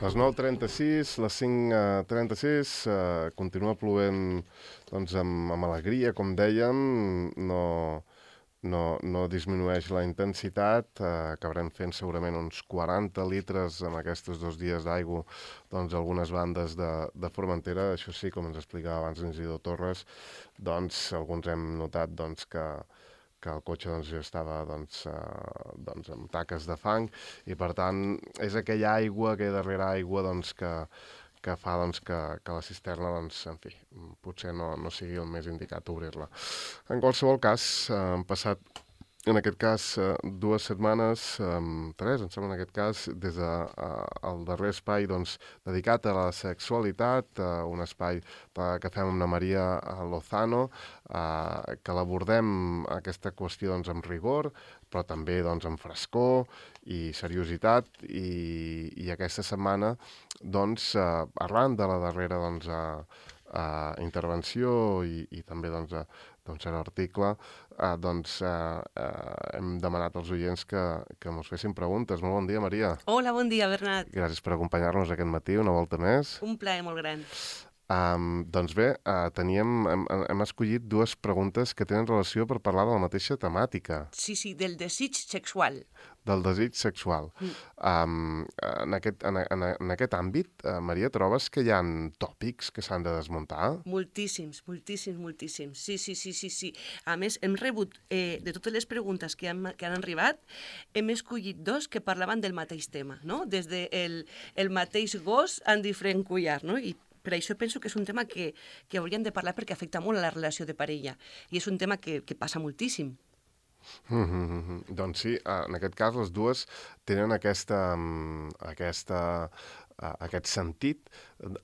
Les 9:36, les 5:36, continua plovent doncs, amb alegria, com dèiem, no disminueix la intensitat, acabarem fent segurament uns 40 litres amb aquests 2 dies d'aigua, doncs algunes bandes de Formentera. Això sí, com ens explicava abans l'Isidor Torres, doncs alguns hem notat doncs, que el cotxe doncs, ja estava doncs, amb taques de fang i, per tant, és aquella aigua, aquella darrera aigua doncs, que fa doncs, que la cisterna, doncs, en fi, potser no sigui el més indicat obrir-la. En qualsevol cas, han passat, en aquest cas, 2 setmanes, 3, em sembla, en aquest cas, des del darrer espai doncs, dedicat a la sexualitat, un espai que fem amb la Maria Lozano, que l'abordem aquesta qüestió doncs, amb rigor, però també doncs, amb frescor i seriositat, i aquesta setmana, doncs, arran de la darrera doncs, intervenció i també doncs, l'article, hem demanat als oients que ens fessin preguntes. Molt bon dia, Maria. Hola, bon dia, Bernat. Gràcies per acompanyar-nos aquest matí, una volta més. Un plaer molt gran. Doncs bé, hem escollit 2 preguntes que tenen relació per parlar de la mateixa temàtica. Sí, del desig sexual. Del desig sexual. En aquest àmbit, Maria, trobes que hi ha tòpics que s'han de desmuntar? Moltíssims. Sí. A més, hem rebut, de totes les preguntes que han arribat, hem escollit 2 que parlaven del mateix tema, no? Des del mateix gos en diferent collar, no? I per això penso que és un tema que hauríem de parlar perquè afecta molt a la relació de parella. I és un tema que passa moltíssim. Doncs sí, en aquest cas les 2 tenen aquest sentit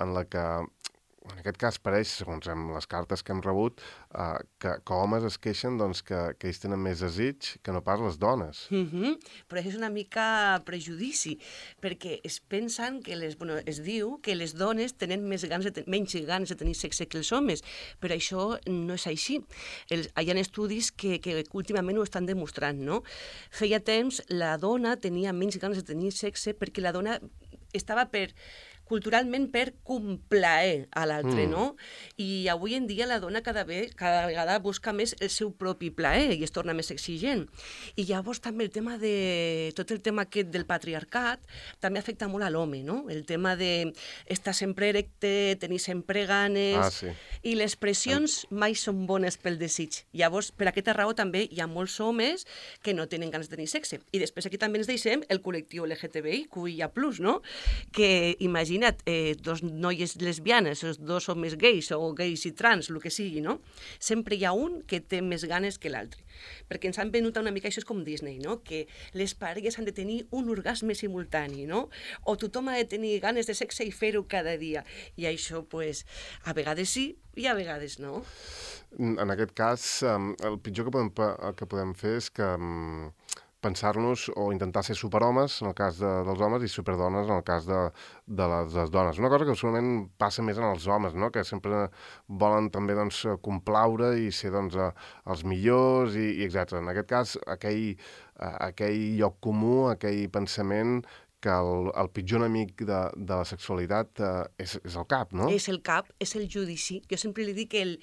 en la que, en aquest cas pareix, segons les cartes que hem rebut, que homes es queixen doncs, que ells tenen més desig que no pas les dones. Però això és una mica prejudici, perquè es pensen que es diu que les dones tenen menys ganes de tenir sexe que els homes, però això no és així. Hi ha estudis que últimament ho estan demostrant, no? Feia temps la dona tenia menys ganes de tenir sexe perquè la dona estava culturalment per complaer a l'altre, no? I avui en dia la dona cada vegada busca més el seu propi plaer i es torna més exigent. I llavors també tot el tema aquest del patriarcat també afecta molt a l'home, no? El tema de estar sempre erecte, tenir sempre ganes... Sí. I les pressions mai són bones pel desig. Llavors, per aquesta raó també hi ha molts homes que no tenen ganes de tenir sexe. I després aquí també ens deixem el col·lectiu LGTBIQIA+, no? Que imagina 2 noies lesbianes, 2 homes gais o gais i trans, el que sigui, no? Sempre hi ha un que té més ganes que l'altre. Perquè ens han venut una mica, això és com Disney, no? Que les parelles han de tenir un orgasme simultani, no? O tothom ha de tenir ganes de sexe i fer-ho cada dia. I això, pues, a vegades sí i a vegades no. En aquest cas, el pitjor que podem fer és que pensar-nos o intentar ser superhomes en el cas dels homes i superdones en el cas de les dones. Una cosa que segurament passa més en els homes, no? Que sempre volen també doncs, complaure i ser doncs, els millors i etc. En aquest cas, aquell lloc comú, aquell pensament que el pitjor enemic de la sexualitat és el cap, no? És el cap, és el judici. Jo sempre li dic el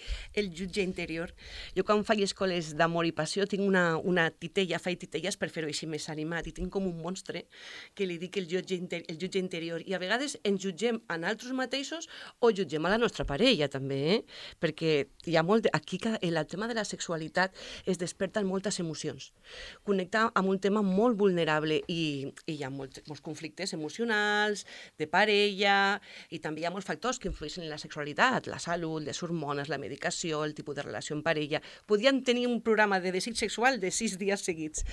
jutge interior. Jo quan faig escoles d'amor i passió tinc una titella, faig titelles per fer-ho així més animat, i tinc com un monstre que li dic el jutge interior. I a vegades ens jutgem a nosaltres mateixos o jutgem a la nostra parella, també, perquè hi ha molt... Aquí el tema de la sexualitat es desperten moltes emocions. Connecta amb un tema molt vulnerable i hi ha molts conflictes emocionals, de parella, i també hi ha molts factors que influeixen en la sexualitat, la salut, les hormones, la medicació, el tipus de relació en parella. Podríem tenir un programa de desig sexual de 6 dies seguits.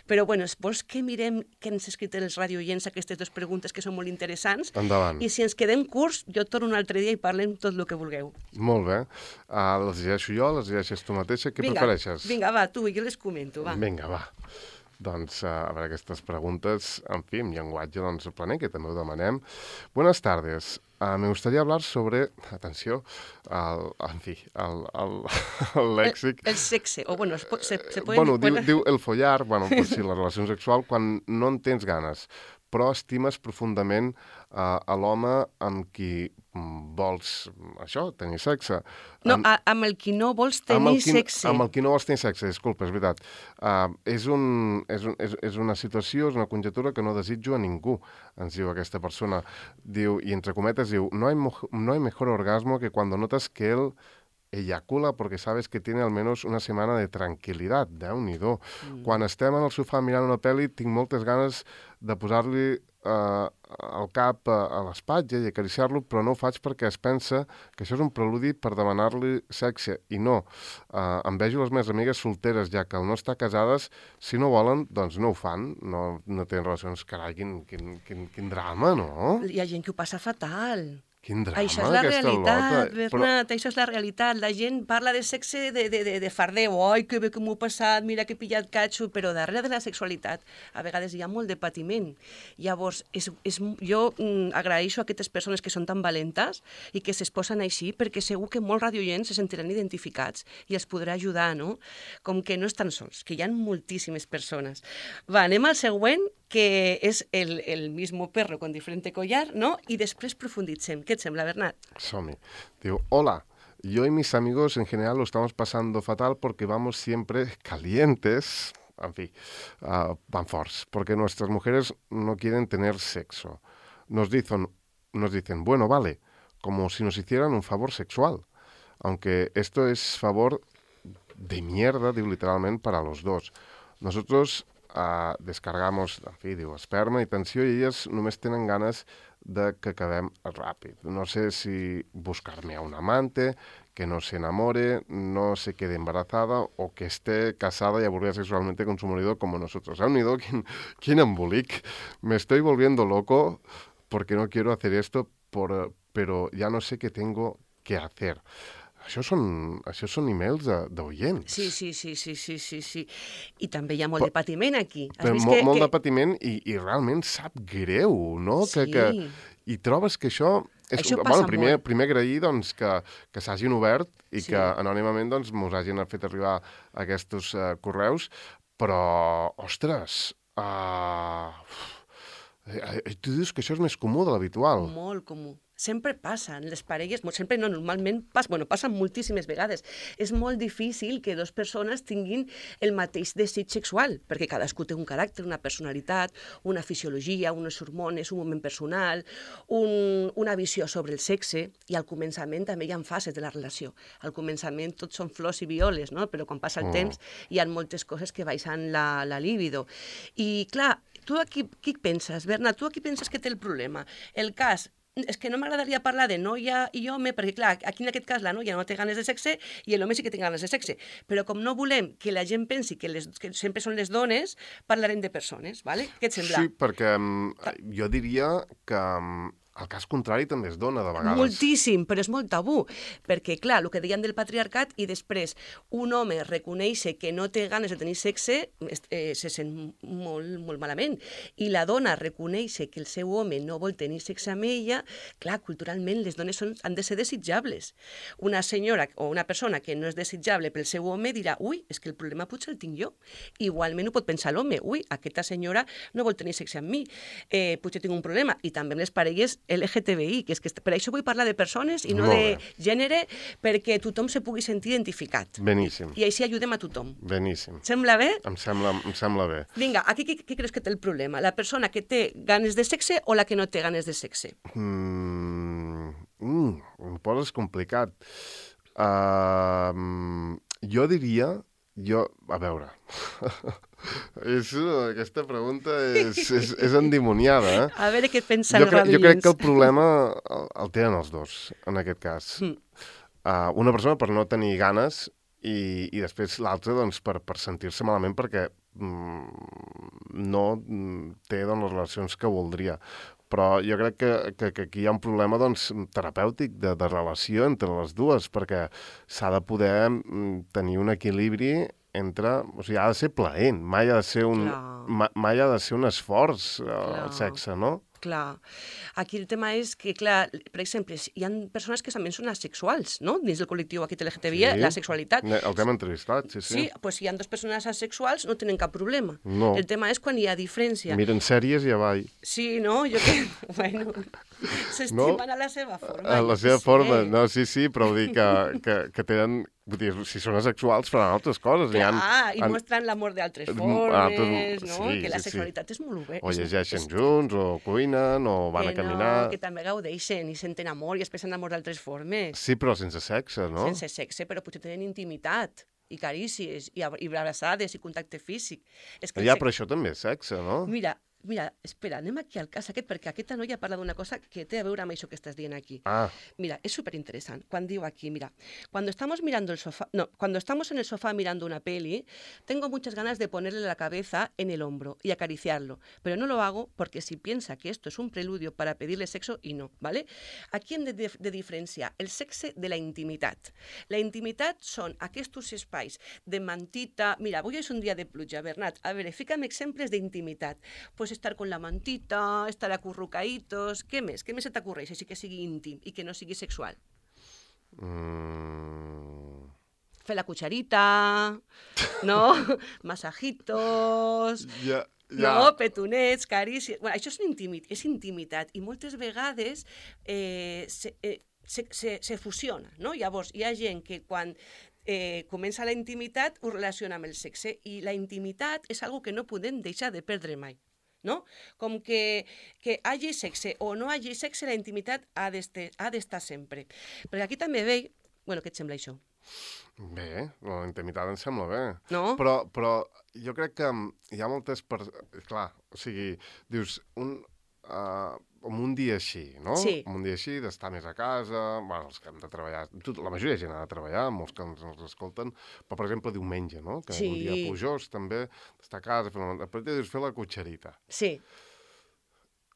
Però, bueno, vols que mirem què ens ha escrit els radioients aquestes 2 preguntes que són molt interessants? Endavant. I si ens quedem curts, jo torno un altre dia i parlem tot el que vulgueu. Molt bé. Les llegeixo jo, les llegeixes tu mateixa? Què prefereixes? Vinga, va, tu, jo les comento, va. Vinga, va. Doncs, a veure, aquestes preguntes, en fi, en llenguatge, doncs, planer, que també ho demanem. Buenas tardes. Me gustaría hablar sobre, atenció, el lèxic... El sexe, o bueno, se puede... Bueno, diu el follar, bueno, pues sí, la relació sexual, quan no en tens ganes. però estimes profundament a l'home amb qui vols, això, tenir sexe. No, amb el qui no vols tenir sexe. Amb el qui no vols tenir sexe, disculpa, és veritat. És una situació, és una conjectura que no desitjo a ningú, ens diu aquesta persona. Diu, i entre cometes, diu, no hay mejor orgasmo que cuando notas que él eyacula porque sabes que tiene al menos una setmana de tranquil·litat. Déu-n'hi-do. Quan estem en el sofà mirant una pel·li, tinc moltes ganes de posar-li el cap a l'espatlla i acariciar-lo, però no ho faig perquè es pensa que això és un preludi per demanar-li sexe. I no. Em vejo les meves amigues solteres, ja que al no estar casades, si no volen, doncs no ho fan, no tenen relacions. Carai, quin drama, no? Hi ha gent que ho passa fatal. Quin drama, això és la realitat, Bernat, però... això és la realitat. La gent parla de sexe de fardeu. Ai, que bé que m'ho he passat, mira que he pillat catxo, però darrere de la sexualitat a vegades hi ha molt de patiment. Llavors, jo agraeixo a aquestes persones que són tan valentes i que s'exposen així, perquè segur que molts radioients se sentiran identificats i els podrà ajudar, no? Com que no estan sols, que hi ha moltíssimes persones. Va, anem al següent, que és el mismo perro con diferente collar, ¿no? Y después profunditzem. ¿Qué te sembla, Bernat? Som-hi. Diu, hola, yo y mis amigos en general lo estamos pasando fatal porque vamos siempre calientes, en fin, van forts, porque nuestras mujeres no quieren tener sexo. Nos dicen, bueno, vale, como si nos hicieran un favor sexual, aunque esto es favor de mierda, diu literalment, para los dos. Nosotros descargamos, en fi, diu, esperma i tensió, i elles només tenen ganes de que acabem ràpid. No sé si buscarme a un amante, que no se enamore, no se quede embarazada o que esté casada y aburrida sexualmente con su marido como nosotros. ¿Han unido? ¿Quién embolic? Me estoy volviendo loco porque no quiero hacer esto, pero ya no sé qué tengo que hacer. Això són emails d'oients. Sí. I també hi ha molt de patiment aquí. Molt de patiment i realment sap greu, no? Sí. I trobes que això passa molt. Primer agrair doncs, que s'hagin obert i que anònimament doncs, mos hagin fet arribar aquests correus, però, ostres, tu dius que això és més comú de l'habitual. Molt comú. Sempre passen, les parelles, sempre no, normalment passen moltíssimes vegades. És molt difícil que dues persones tinguin el mateix desig sexual, perquè cadascú té un caràcter, una personalitat, una fisiologia, unes hormones, un moment personal, una visió sobre el sexe, i al començament també hi ha fases de la relació. Al començament tots són flors i violes, no? Però quan passa el temps hi ha moltes coses que baixen la libido. I clar, tu aquí què penses, Bernat? Tu aquí penses que té el problema? El cas és que no m'agradaria parlar de noia i home, perquè clar, aquí en aquest cas la noia no té ganes de sexe i l'home sí que té ganes de sexe. Però com no volem que la gent pensi que sempre són les dones, parlarem de persones, ¿vale? Què et sembla? Sí, perquè jo diria que el cas contrari també es dona, de vegades. Moltíssim, però és molt tabú, perquè, clar, el que deien del patriarcat, i després un home reconeix que no té ganes de tenir sexe, se sent molt, molt malament. I la dona reconeix que el seu home no vol tenir sexe amb ella, clar, culturalment les dones han de ser desitjables. Una senyora o una persona que no és desitjable pel seu home dirà, ui, és que el problema potser el tinc jo. Igualment ho pot pensar l'home, ui, aquesta senyora no vol tenir sexe amb mi, potser tinc un problema. I també amb les parelles LGTBI, que és que per això vull parlar de persones i no de gènere, perquè tothom se pugui sentir identificat. Beníssim. I així ajudem a tothom. Beníssim. Sembla bé? Em sembla bé. Vinga, aquí qui creus que té el problema? La persona que té ganes de sexe o la que no té ganes de sexe? Em poses complicat. Jo diria... A veure... Aquesta pregunta és endimoniada, eh? A veure què pensa el radioients. Jo crec que el problema el tenen els dos, en aquest cas. Una persona per no tenir ganes i després l'altra doncs, per sentir-se malament perquè no té doncs, les relacions que voldria. Però jo crec que aquí hi ha un problema doncs, terapèutic de relació entre les dues, perquè s'ha de poder tenir un equilibri entre... O sigui, ha de ser plaent, mai ha de ser un esforç el sexe, no? Clar. Aquí el tema és que, clar, per exemple, hi ha persones que també són asexuals, no? Dins del col·lectiu aquest LGTBI, la sexualitat. El que hem entrevistat, sí. Sí, doncs si hi ha dues persones asexuals no tenen cap problema. No. El tema és quan hi ha diferència. Miren sèries i avall. Sí, no? Jo que... Bueno, s'estimen a la seva forma. A la seva forma, no, sí, però vull dir que tenen... Vull dir, si són asexuals faran altres coses. Clar, i mostren l'amor d'altres formes, no? Sí, que la sexualitat és molt bé. O llegeixen junts, o cuinen, o van a caminar... Que també gaudeixen i senten amor i expressen amor d'altres formes. Sí, però sense sexe, no? Sense sexe, però potser tenen intimitat i carícies, i abraçades, i contacte físic. És que però això també és sexe, no? Mira, espera, anem aquí al cas aquest, perquè aquesta noia parla d'una cosa que té a veure amb això que estàs dient aquí. Mira, es superinteresante. Cuando digo aquí, mira, cuando estamos en el sofá mirando una peli, tengo muchas ganas de ponerle la cabeza en el hombro y acariciarlo, pero no lo hago porque si piensa que esto es un preludio para pedirle sexo y no, ¿vale? Aquí hem de diferenciar el sexe de la intimitat. La intimitat són aquests espais de mantita... Mira, avui és un dia de pluja, Bernat. A veure, fica'm exemples d'intimitat. Pues estar con la mantita, estar acurrucaditos... Què més? Què més se t'acurreix així que sigui íntim i que no sigui sexual? Fer la cucharita, no? Masajitos... No, petonets, carícies... Bueno, això és intimitat i moltes vegades se fusiona, no? Llavors, hi ha gent que quan comença la intimitat ho relaciona amb el sexe i la intimitat és algo que no podem deixar de perdre mai. No? Com que hagi sexe o no hagi sexe, la intimitat ha d'estar sempre. Perquè aquí també veig... Bueno, què et sembla això? Bé, la intimitat em sembla bé. No? Però jo crec que hi ha moltes... Clar, o sigui, dius, un dia així, no? Sí. Un dia així, d'estar més a casa, bueno, els que hem de treballar, la majoria de gent ha de treballar, molts que ens escolten, però, per exemple, diumenge, no? Que és un dia plujós, també, d'estar a casa, fer la cotxerita. Sí.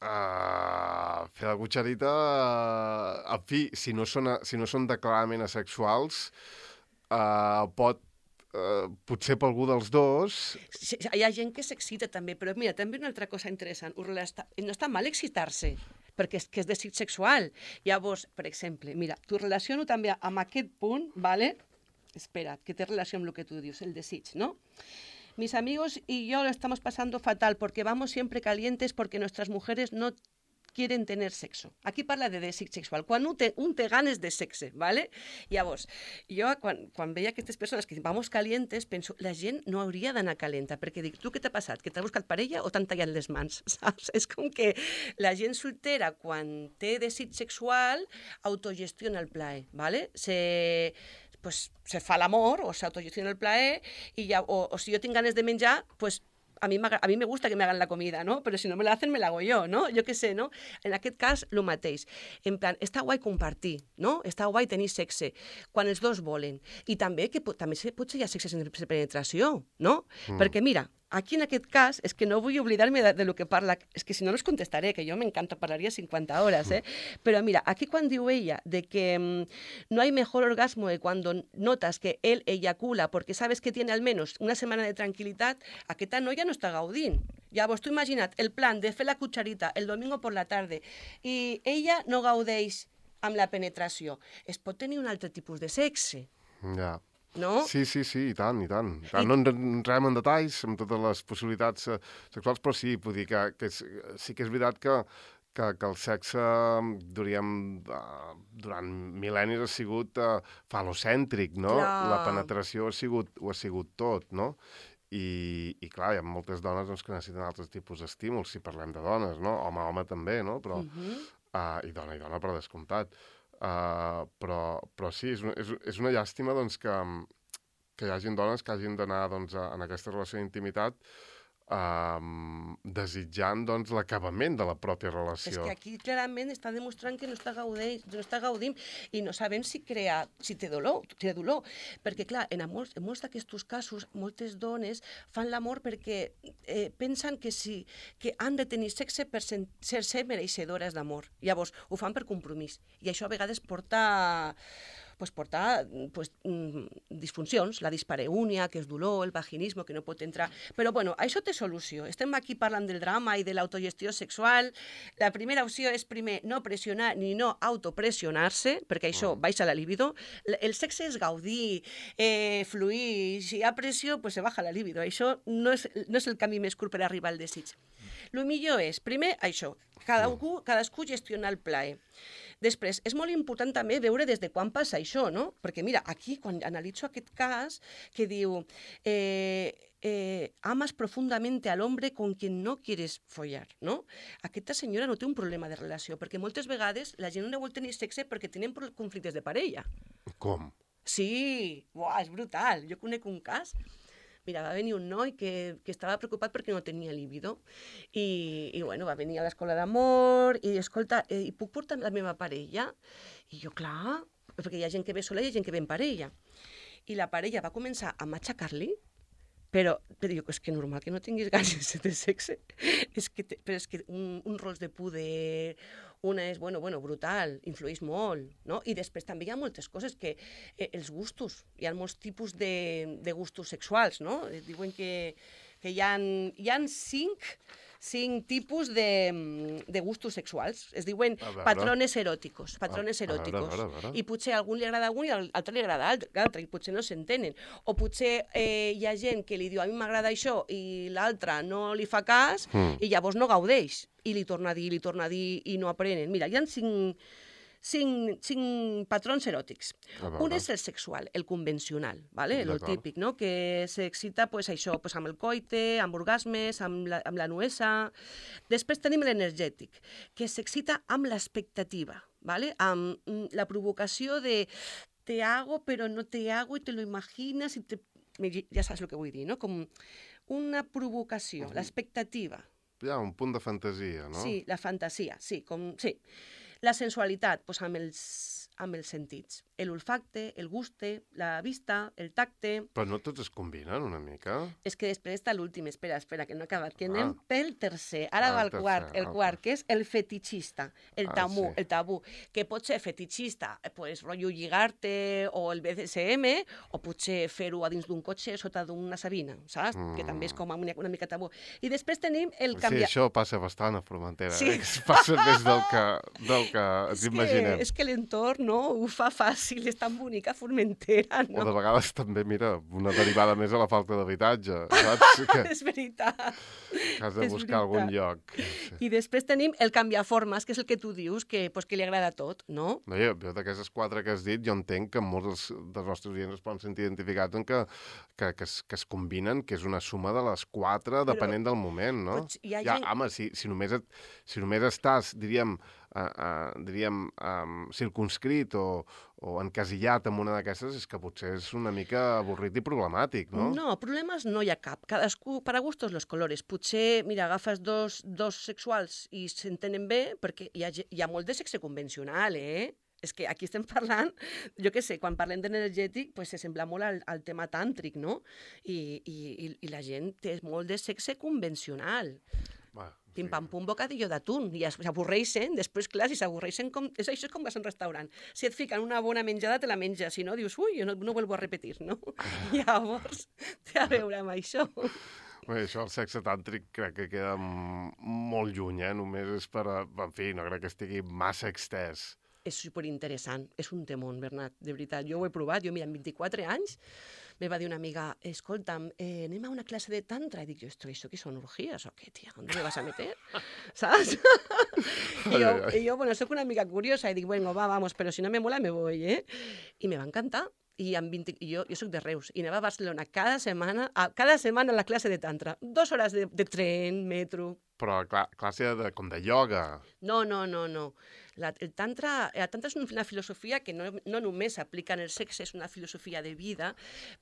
Fer la cotxerita, en fi, si no són declaradament asexuals, potser per algú dels dos... Sí, hi ha gent que s'excita també, però mira, també una altra cosa interessant, no està mal excitar-se, perquè és desig sexual. Llavors, per exemple, mira, t'ho relaciono també amb aquest punt, ¿vale? Espera, que té relació amb el que tu dius, el desig, ¿no? Mis amigos y yo lo estamos pasando fatal porque vamos siempre calientes porque nuestras mujeres no quieren tener sexo. Aquí parla de desig sexual, quan un té ganes de sexe, ¿vale? Llavors, jo quan veia aquestes persones que vamos calientes, penso, la gent no hauria d'anar calenta, perquè dic, tu què t'ha passat? Que t'ha buscat parella o t'han tallat les mans? Saps? És com que la gent soltera, quan té desig sexual, autogestiona el plaer, ¿vale? Pues se fa l'amor o s'autogestiona el plaer i ja, o si jo tinc ganes de menjar, pues a mí me gusta que me hagan la comida, ¿no? Pero si no me la hacen, me la hago yo, ¿no? Jo què sé, no? En aquest cas, el mateix. En plan, està guai compartir, no? Està guai tenir sexe, quan els dos volen. I també que potser hi ha sexe sense penetració, no? Perquè, mira, aquí en aquest cas, és que no vull oblidar-me de lo que parla, és que si no, no us contestaré, que jo m'encanta, parlaria 50 hores, Però mira, aquí quan diu ella de que no hay mejor orgasmo que cuando notas que él eyacula porque sabes que tiene al menos una semana de tranquilitat, aquesta noia no està gaudint. Llavors, tu imagina't el plan de fer la cucharita el domingo por la tarde i ella no gaudeix amb la penetració. Es pot tenir un altre tipus de sexe. Ja. No? Sí, i tant. No entrem en detalls amb totes les possibilitats sexuals, però sí, vull dir que sí que és veritat que el sexe, diríem, durant mil·lennis ha sigut falocèntric, no? Clar. La penetració ho ha sigut tot, no? I clar, hi ha moltes dones doncs, que necessiten altres tipus d'estímuls, si parlem de dones, no? Home també, no? Però, i dona per descomptat. Però sí, és una llàstima doncs, que hi hagin dones que hagin d'anar doncs, en aquesta relació d'intimitat desitjant doncs, l'acabament de la pròpia relació. És que aquí clarament està demostrant que no està gaudint i no sabem si té dolor, perquè clar, en molts d'aquests casos moltes dones fan l'amor perquè pensen que han de tenir sexe per ser mereixedores d'amor. Llavors ho fan per compromís i això a vegades porta pues, portar disfuncions, la dispareunia, que és dolor, el vaginisme, que no pot entrar... Però, bueno, això té solució. Estem aquí parlant del drama i de l'autogestió sexual. La primera opció és, primer, no pressionar ni no autopressionar-se, perquè això baixa la libido. El sexe és gaudir, fluir. Si hi ha pressió, pues se baja la libido. Això no és el camí més curt per arribar al desig. El millor és, primer, això, cadascú gestionar el plaer. Després, és molt important també veure des de quan passa això, no? Perquè, mira, aquí, quan analitzo aquest cas, que diu amas profundamente al hombre con quien no quieres follar, no? Aquesta senyora no té un problema de relació, perquè moltes vegades la gent no vol tenir sexe perquè tenen conflictes de parella. Com? Sí, uah, és brutal. Jo conec un cas. Mira, va venir un noi que estava preocupat perquè no tenia líbido i bueno, va venir a l'escola d'amor i, escolta, i puc portar la meva parella? I jo, clar, perquè hi ha gent que ve sola i hi ha gent que ve en parella. I la parella va començar a matxacar-li, però jo, és que normal que no tinguis ganes de sexe. Però és que un rols de puder, una és, bueno, brutal, influeix molt, no? I després també hi ha moltes coses que els gustos, hi ha molts tipus de gustos sexuals, no? Diuen que hi ha cinc tipus de gustos sexuals. Es diuen patrones eròticos. I potser a algun li agrada un i a l'altre li agrada l'altre, i potser no s'entenen. O potser hi ha gent que li diu a mi m'agrada això i l'altre no li fa cas i llavors no gaudeix. I li torna a dir i no aprenen. Mira, hi ha cinc patrons eròtics. Un és el sexual, el convencional, ¿vale? El típic, no? Que s'excita pues, això, pues, amb el coite, amb orgasmes, amb la nuesa. Després tenim l'energètic, que s'excita amb l'expectativa, ¿vale? Amb la provocació de te hago però no te hago i te lo imaginas i ja saps el que vull dir, no? Com una provocació, l'expectativa. Hi ha un punt de fantasia, no? Sí, la fantasia, sí. Sí. La sensualitat, doncs amb els sentits. L'olfacte, el guste, la vista, el tacte... Però no tots es combinen una mica? És que després està l'últim, espera, que no he acabat, que anem pel tercer. Ara va el quart, que és el fetichista, el tabú, que pot ser fetichista, pues, rotllo lligar-te o el BDSM, o potser fer-ho a dins d'un cotxe sota d'una sabina, saps? Que també és com una mica tabú. I després tenim el canviar... Sí, això passa bastant a Formentera, sí. Passa més del que ens imaginem. És que l'entorn, no?, ho fa fàcil, és tan bonica Formentera, no? O de vegades també, mira, una derivada més a la falta d'habitatge, saps? És veritat. Has de buscar algun lloc. I després tenim el canviaformes, que és el que tu dius, que li agrada tot, no? No, jo d'aquestes 4 que has dit, jo entenc que molts dels nostres oients es poden sentir identificats en que es combinen, que és una suma de les 4, depenent del moment, no? Home, si només estàs, diríem, circunscrit o encasillat en una d'aquestes, és que potser és una mica avorrit i problemàtic, no? No, problemes no hi ha cap. Cadascú, para gustos los colores. Potser, mira, agafes dos sexuals i s'entenen bé, perquè hi ha molt de sexe convencional, És que aquí estem parlant, jo què sé, quan parlem d'energètic, pues se sembla molt al tema tàntric, no? I la gent té molt de sexe convencional. Pim-pam-pum, bocadillo d'atún, i s'avorreixen, després, clar, si s'avorreixen, això és com vas a un restaurant. Si et fiquen una bona menjada, te la menges, si no, dius, ui, jo no vuelvo a repetir, no? Llavors, té a veure amb això. Bé, això, el sexe tàntric, crec que queda molt lluny, només és per... En fi, no crec que estigui massa extès. És superinteressant, és un temón, Bernat, de veritat. Jo ho he provat, mira, amb 24 anys, me va dir una amiga, escolta'm, anem a una clase de tantra. I dic, ¿esto qué son orgías o qué, tia? ¿Dónde me vas a meter? ¿Sabes? I jo, bueno, soc una amiga curiosa, i dic, bueno, vamos, però si no me mola me voy, I me va encantar. I jo soc de Reus, i anava a Barcelona cada setmana a la classe de tantra. 2 hores de tren, metro... Però classe com de ioga. No. El tantra és una filosofia que no només s'aplica en el sexe, és una filosofia de vida,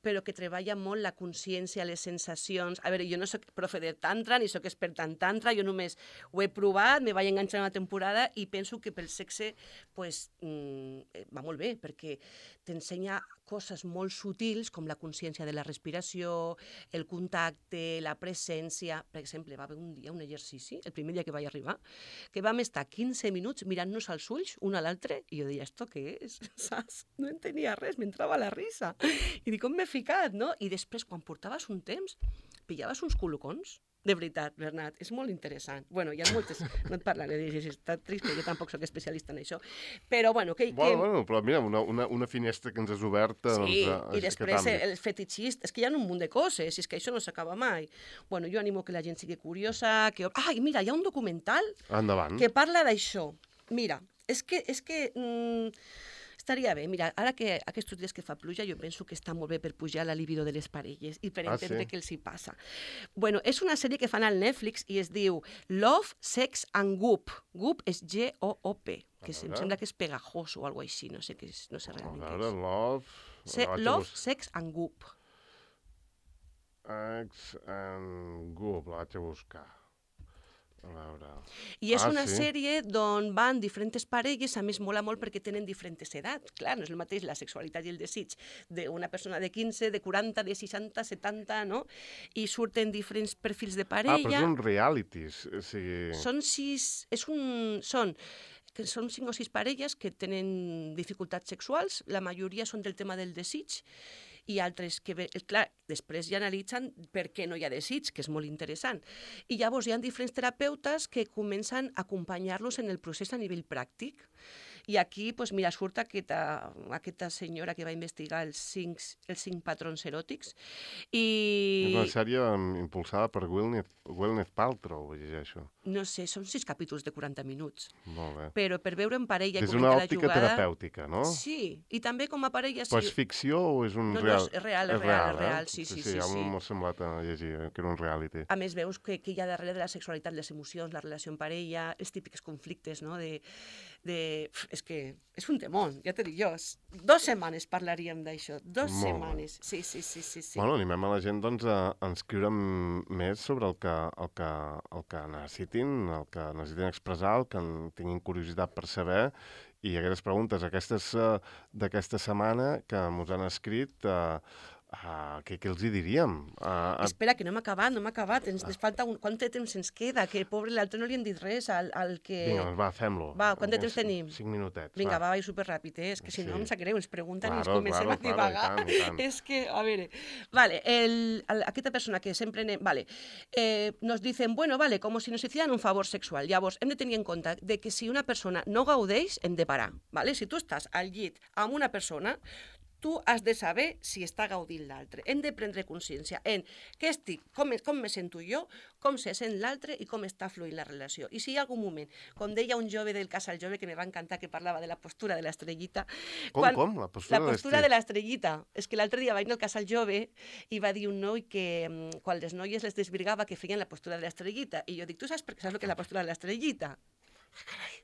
però que treballa molt la consciència, les sensacions... A veure, jo no soc profe de tantra, ni soc experta en tantra, jo només ho he provat, me vaig enganxar una temporada i penso que pel sexe pues, va molt bé, perquè t'ensenya coses molt sutils com la consciència de la respiració, el contacte, la presència... Per exemple, va haver un dia un exercici, el primer dia que vaig arribar, que vam estar 15 minuts mirant-nos mirant-los als ulls, un a l'altre, i jo deia, ¿esto què és? Saps? No entenia res, m'entrava la risa. I dic, on m'he ficat, no? I després, quan portaves un temps, pillaves uns colocons. De veritat, Bernat, és molt interessant. Bueno, hi ha moltes... No et parlaré de gestat trist, que jo tampoc soc especialista en això. Però, bueno, que... Bueno, però mira, una finestra que ens has obert... Sí, i després el fetichista... És que hi ha un munt de coses, és que això no s'acaba mai. Bueno, jo animo que la gent sigui curiosa, que... Ai, mira, hi ha un documental que parla d'això. Mira, és que estaria bé. Mira, ara que aquests dies que fa pluja, jo penso que està molt bé per pujar la libido de les parelles i per entendre què els hi passa. Bueno, és una sèrie que fan al Netflix i es diu Love, Sex and Goop. Goop és G-O-O-P, que em sembla que és pegajoso o alguna cosa així, no sé realment què és. Love, Sex and Goop. Sex and Goop, la vaig a buscar. I és una sèrie d'on van diferents parelles, a més mola molt perquè tenen diferents edats. Clar, no és el mateix la sexualitat i el desig d'una persona de 15, de 40, de 60, 70, no? I surten diferents perfils de parella. Però són realities, o sigui... Són 5 o 6 parelles que tenen dificultats sexuals, la majoria són del tema del desig, i altres que, clar, després ja analitzen per què no hi ha desig, que és molt interessant. I llavors hi ha diferents terapeutes que comencen a acompanyar-los en el procés a nivell pràctic. I aquí, doncs, mira, surt aquesta senyora que va investigar els 5 patrons eròtics. És una sèrie impulsada per Gwyneth Paltrow, llegeixo. No sé, són 6 capítols de 40 minuts. Molt bé. Però per veure en parella... És una òptica terapèutica, no? Sí, i també com a parella... Però és ficció o és un real? No, és real, sí. Ja m'ha semblat a llegir que era un reality. A més, veus que hi ha darrere de la sexualitat, les emocions, la relació en parella, els típics conflictes, no? És que és un temón, ja t'he dit jo. 2 setmanes parlaríem d'això, 2 setmanes. Sí. Bueno, animem a la gent doncs, a inscriure més sobre el que necessitin, el que necessitin expressar, el que tinguin curiositat per saber, i aquestes preguntes d'aquesta setmana que mos han escrit... Què els hi diríem? Espera, que no hem acabat. Ens falta quant de temps ens queda? Que pobre l'altre no li hem dit res al que... Vinga, doncs va, fem-lo. Va, quant de temps tenim? 5 minutets. Vinga, va superràpid, és que si no em sap greu, ens pregunten i ens comencem a divagar. És que, a veure... Vale, aquesta persona que sempre anem... Vale, nos dicen, bueno, vale, com si nos hicieran un favor sexual. Llavors, hem de tenir en compte de que si una persona no gaudeix, hem de parar, vale? Si tu estàs al llit amb una persona, tu has de saber si està gaudint l'altre. Hem de prendre consciència en què estic, com me sento jo, com se sent l'altre i com està fluint la relació. I si hi ha algun moment, com deia un jove del Casal Jove, que me va encantar, que parlava de la postura de l'estrellita... Com? La postura de l'estrellita. És que l'altre dia va ir al Casal Jove i va dir un noi que quan les noies les desvirgava que feien la postura de l'estrellita. I jo dic, tu saps el que és la postura de l'estrellita? Carai.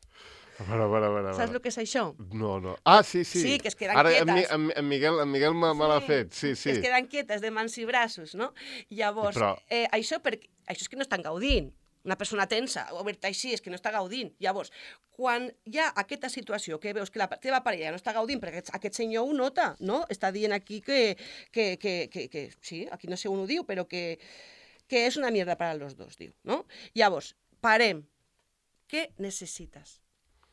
A veure. Saps el que és això? No. Sí. Sí, que es queden quietes. Ara en Miguel me l'ha fet, sí. Que es queden quietes de mans i braços, no? Llavors, això és que no estan gaudint. Una persona tensa, oberta així, és que no està gaudint. Llavors, quan hi ha aquesta situació que veus que la teva parella no està gaudint, perquè aquest senyor ho nota, no? Està dient aquí que sí, aquí no sé on ho diu, però que és una mierda para los dos, diu, no? Llavors, parem. Què necessites?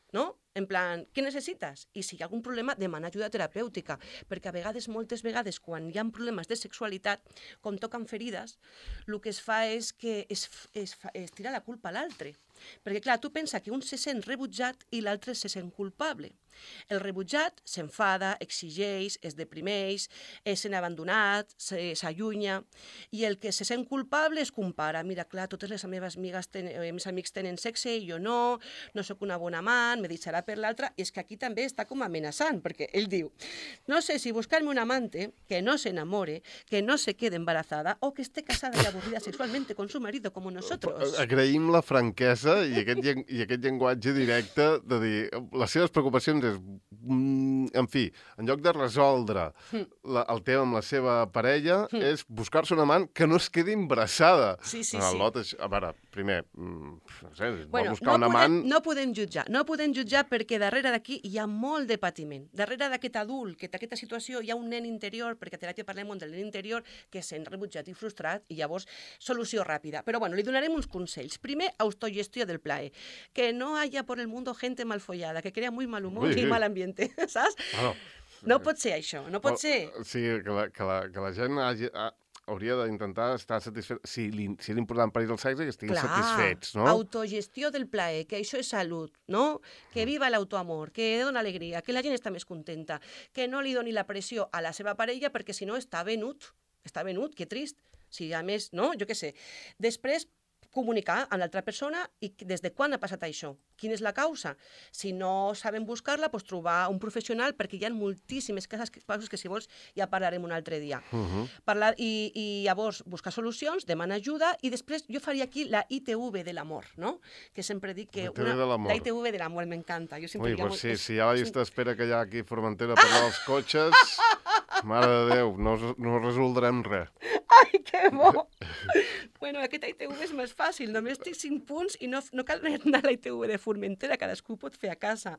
No? En plan, què necessites? I si hi ha algun problema, demana ajuda terapèutica, perquè moltes vegades, quan hi ha problemes de sexualitat, com toquen ferides, el que es fa és que es tira la culpa a l'altre. Perquè, clar, tu pensa que un se sent rebutjat i l'altre se sent culpable. El rebutjat s'enfada, exigeix, es deprimeix, es sent abandonat, s'allunya, i el que se sent culpable es compara. Mira, clar, totes les meves amics tenen sexe i jo no sóc una bona amant, me deixarà per l'altre, i és que aquí també està com amenaçant, perquè ell diu, no sé si buscar-me un amante que no se enamore, que no se quede embarazada o que esté casada y aburrida sexualmente con su marido como nosotros. Agraïm la franquesa i aquest llenguatge directe de dir les seves preocupacions és en fi, en lloc de resoldre el tema amb la seva parella, és buscar-se un amant que no es quedi embarassada. Sí. A veure, primer, no sé, Bueno, buscar un amant... no podem jutjar perquè darrere d'aquí hi ha molt de patiment. Darrere d'aquest adult, que té aquesta situació, hi ha un nen interior, perquè a teràpia parlem molt del nen interior, que sent rebutjat i frustrat, i llavors solució ràpida. Però bueno, li donarem uns consells. Primer, autogestió del plaer. Que no haya por el mundo gente mal follada, que crea muy mal humor i mal ambiente, saps? No pot ser això, no pot ser. Sí, que la gent hauria d'intentar estar satisfet. Si és important per ells el sexe, que estiguin satisfets, no? Autogestió del plaer, que això és salut, no? Que viva l'autoamor, que dona alegria, que la gent està més contenta, que no li doni la pressió a la seva parella perquè si no està venut, que trist. Si a més, no? Jo què sé. Després, comunicar amb l'altra persona i des de quan ha passat això, quina és la causa. Si no saben buscar-la, doncs trobar un professional, perquè hi ha moltíssimes casos que, si vols, ja parlarem un altre dia. Parlar, i llavors buscar solucions, demanar ajuda, i després jo faria aquí la ITV de l'amor, no? Que sempre dic que... La ITV de l'amor, m'encanta. Ui, doncs sí, si hi ha la llista d'espera que hi ha aquí a Formentera per als cotxes, mare de Déu, no resoldrem res. Ai, que bo! Bueno, aquest ITV és més fàcil, només té 5 punts i no cal anar a la ITV de Formentera, cadascú pot fer a casa.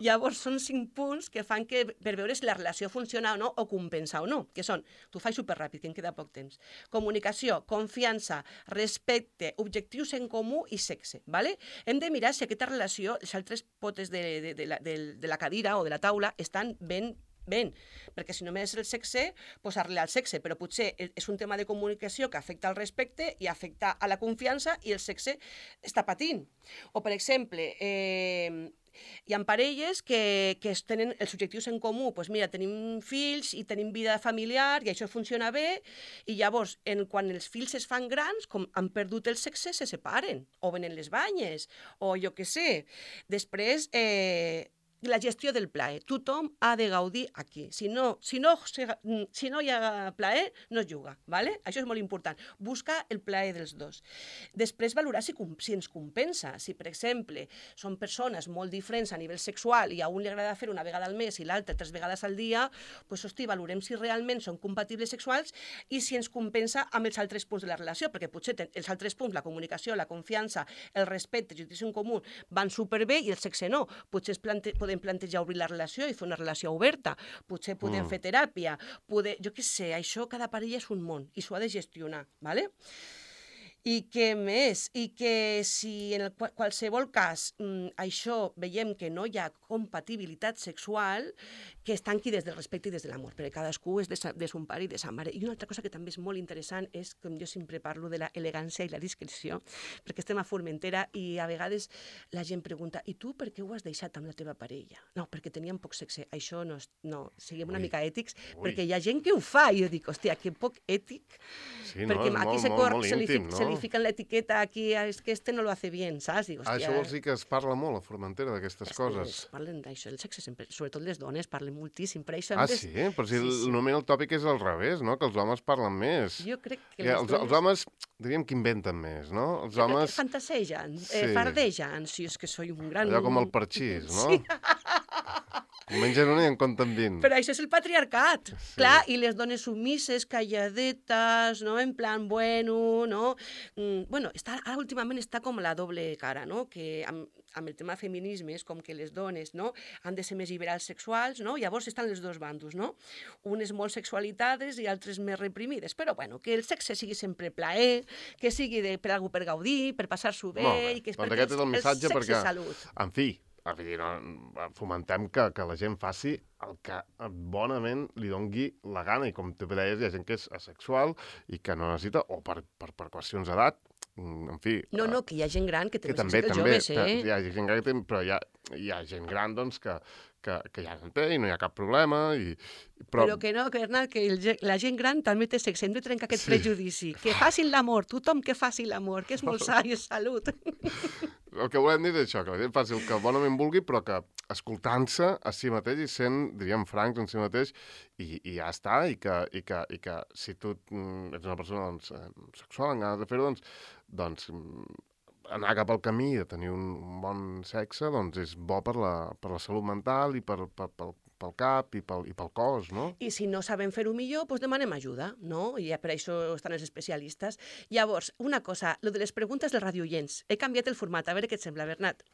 Llavors, són 5 punts que fan que, per veure si la relació funciona o no, o compensa o no, que són, t'ho faig superràpid, que em queda poc temps, comunicació, confiança, respecte, objectius en comú i sexe, ¿vale? Hem de mirar si aquesta relació, les altres potes de la cadira o de la taula estan ben, perquè si només el sexe, doncs arreglar el sexe, però potser és un tema de comunicació que afecta al respecte i afecta a la confiança i el sexe està patint. O, per exemple, hi ha parelles que tenen els objectius en comú, doncs mira, tenim fills i tenim vida familiar i això funciona bé, i llavors, quan els fills es fan grans, com han perdut el sexe, se separen, o venen les banyes, o jo què sé. Després, la gestió del plaer. Tothom ha de gaudir aquí. Si no hi ha plaer, no es juga, ¿vale? Això és molt important. Buscar el plaer dels dos. Després, valorar si ens compensa. Si, per exemple, són persones molt diferents a nivell sexual i a un li agrada fer una vegada al mes i l'altre 3 vegades al dia, doncs, hosti, valorem si realment són compatibles sexuals i si ens compensa amb els altres punts de la relació, perquè potser els altres punts, la comunicació, la confiança, el respecte, el judici en comú, van superbé i el sexe no. Potser podem plantejar obrir la relació i fer una relació oberta, potser podem fer teràpia, jo què sé, això cada parella és un món i s'ho ha de gestionar, ¿vale? I què més? I que si en qualsevol cas això veiem que no hi ha compatibilitat sexual, que es tanqui des del respecte i des de l'amor, perquè cadascú és de son pare i de sa mare. I una altra cosa que també és molt interessant és, com jo sempre parlo, de l'elegància i la discreció, perquè estem a Formentera i a vegades la gent pregunta, i tu per què ho has deixat amb la teva parella? No, perquè teníem poc sexe. Això no, siguem una mica ètics, perquè hi ha gent que ho fa, i jo dic, hòstia, que poc ètic, perquè aquí se li fiquen l'etiqueta aquí, és que este no lo hace bien, saps? Dic, això vols dir que es parla molt a Formentera d'aquestes coses? Parlen d'això, el sexe sempre, sobretot les dones, parlen moltíssim. Per això sí? Però si normalment el tòpic és al revés, no? Que els homes parlen més. Jo crec que els homes, diríem que inventen més, no? Els homes... Fantasegen, fardegen, si és que soy un gran... Allò com el parxís, no? Sí. Mengen una i en compten 20. Però això és el patriarcat. Sí. Clar, i les dones submises, calladetes, no? En plan, bueno, no? Bueno, ara últimament està com la doble cara, no? Que amb el tema feminisme és com que les dones, no? Han de ser més liberals sexuals, no? Llavors estan els dos bandos, no? Unes molt sexualitades i altres més reprimides. Però, bueno, que el sexe sigui sempre plaer, que sigui per algú per gaudir, per passar-s'ho bé... Molt bé, doncs aquest és el missatge perquè, en fi, fomentem que la gent faci el que bonament li dongui la gana, i com tu deies, hi ha gent que és asexual i que no necessita, o per qüestions d'edat, en fi... No, que hi ha gent gran que també necessita joves, hi ha gent gran però hi ha gent gran, doncs, que ja no té i no hi ha cap problema. Però que no, Bernat, que la gent gran també té sexe, hem de trencar aquest prejudici. Que facin l'amor, tothom que faci l'amor, que és molt sa i és salut. El que volem dir és això, que la gent faci el que bonament vulgui, però que escoltant-se a si mateix i sent, diríem, francs en si mateix, i ja està, i que si tu ets una persona sexual, amb ganes de fer-ho, doncs anar cap al camí de tenir un bon sexe, doncs és bo per la salut mental i pel cap i pel cos, no? I si no sabem fer-ho millor, doncs demanem ajuda, no? I per això estan els especialistes. Llavors, una cosa, lo de les preguntes dels radioients. He canviat el format, a veure què et sembla, Bernat.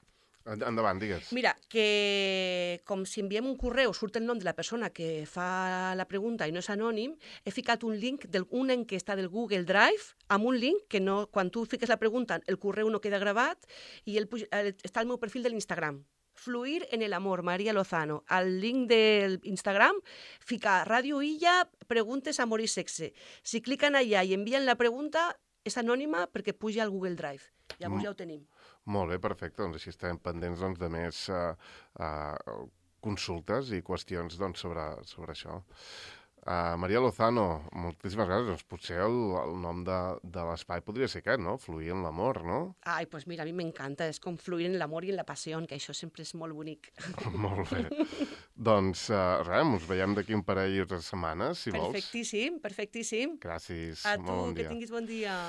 Endavant, digues. Mira, que com si enviem un correu surt el nom de la persona que fa la pregunta i no és anònim, he ficat un link una enquesta del Google Drive amb un link que no, quan tu fiques la pregunta el correu no queda gravat i està al meu perfil de l'Instagram. Fluir en el amor, María Lozano. Al link del Instagram fica Radio Illa, preguntes, amor i sexe. Si cliquen allà i envien la pregunta, és anònima perquè puja al Google Drive. Llavors ja ho tenim. Molt bé, perfecte. Doncs així estarem pendents de més consultes i qüestions sobre això. María Lozano, moltíssimes gràcies. Doncs potser el nom de l'espai podria ser aquest, no? Fluir en l'amor, no? Ai, doncs mira, a mi m'encanta. És com fluir en l'amor i en la passió, que això sempre és molt bonic. Molt bé. Doncs res, ens veiem d'aquí un parell de setmanes, si vols. Perfectíssim, perfectíssim. Gràcies. A tu, Molt bon dia. que tinguis bon dia.